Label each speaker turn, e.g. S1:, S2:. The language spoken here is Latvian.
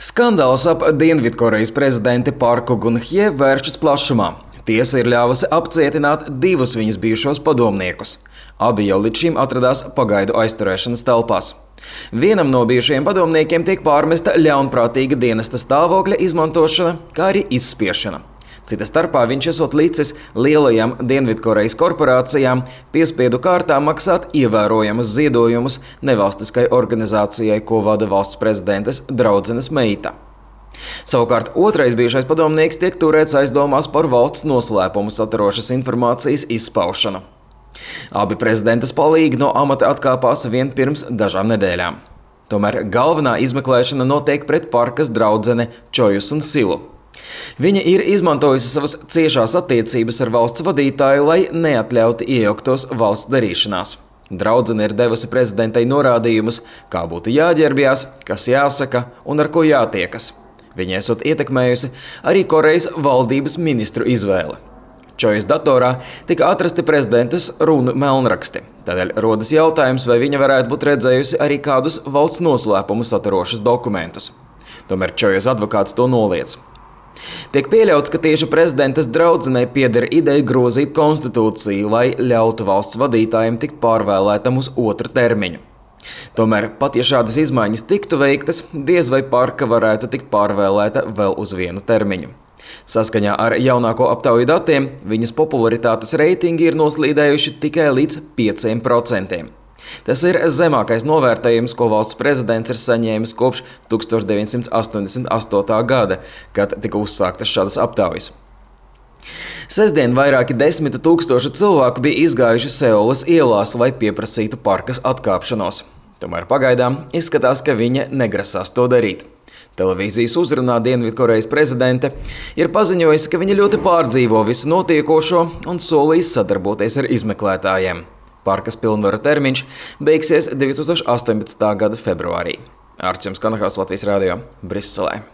S1: Skandāls ap Dienvidkorejas prezidenti Parku Gun-hye vēršas plašumā. Tiesa ir ļāvusi apcietināt divus viņas bijušos padomniekus. Abi jau līdz šim atradās pagaidu aizturēšanas telpās. Vienam no bijušajiem padomniekiem tiek pārmesta ļaunprātīga dienesta stāvokļa izmantošana, kā arī izspiešana. Cita starpā viņš esot licis lielajām Dienvidkorejas korporācijām piespiedu kārtā maksāt ievērojamus ziedojumus nevalstiskai organizācijai, ko vada valsts prezidentes draudzenes meita. Savukārt otrais bijušais padomnieks tiek turēts aizdomās par valsts noslēpumu saturošas informācijas izpaušanu. Abi prezidentes palīgi no amata atkāpās vien pirms dažām nedēļām. Tomēr galvenā izmeklēšana notiek pret Parkas draudzene Čojus un Silu. Viņa ir izmantojusi savas ciešās attiecības ar valsts vadītāju, lai neatļautu iejauktos valsts darīšanās. Draudzene ir devusi prezidentei norādījumus, kā būtu jāģērbjās, kas jāsaka un ar ko jātiekas. Viņa esot ietekmējusi arī Korejas valdības ministru izvēli. Čojas datorā tika atrasti prezidentes runu melnraksti. Tādēļ rodas jautājums, vai viņa varētu būt redzējusi arī kādus valsts noslēpumu saturošus dokumentus. Tomēr Čojas advokāts to noliedz. Tiek pieļauts, ka tieši prezidentes draudzenei pieder ideja grozīt konstitūciju, lai ļautu valsts vadītājiem tikt pārvēlētam uz otru termiņu. Tomēr, pat ja šādas izmaiņas tiktu veiktas, diez vai Parka varētu tikt pārvēlēta vēl uz vienu termiņu. Saskaņā ar jaunāko aptauju datiem, viņas popularitātes reitingi ir noslīdējuši tikai līdz 5%. Tas ir zemākais novērtējums, ko valsts prezidents ir saņēmis kopš 1988. gada, kad tika uzsāktas šādas aptaujas. Sestdien vairāki 10 000 cilvēku bija izgājuši Seulas ielās, lai pieprasītu Parkas atkāpšanos. Tomēr pagaidām izskatās, ka viņa negrasās to darīt. Televīzijas uzrunā Dienvidkorejas prezidente ir paziņojusi, ka viņa ļoti pārdzīvo visu notiekošo un solīs sadarboties ar izmeklētājiem. Parkas pilnvaru termiņš beigsies 2018. gada februārī. Ārčuns Kanahaus, Latvijas radio, Briselē.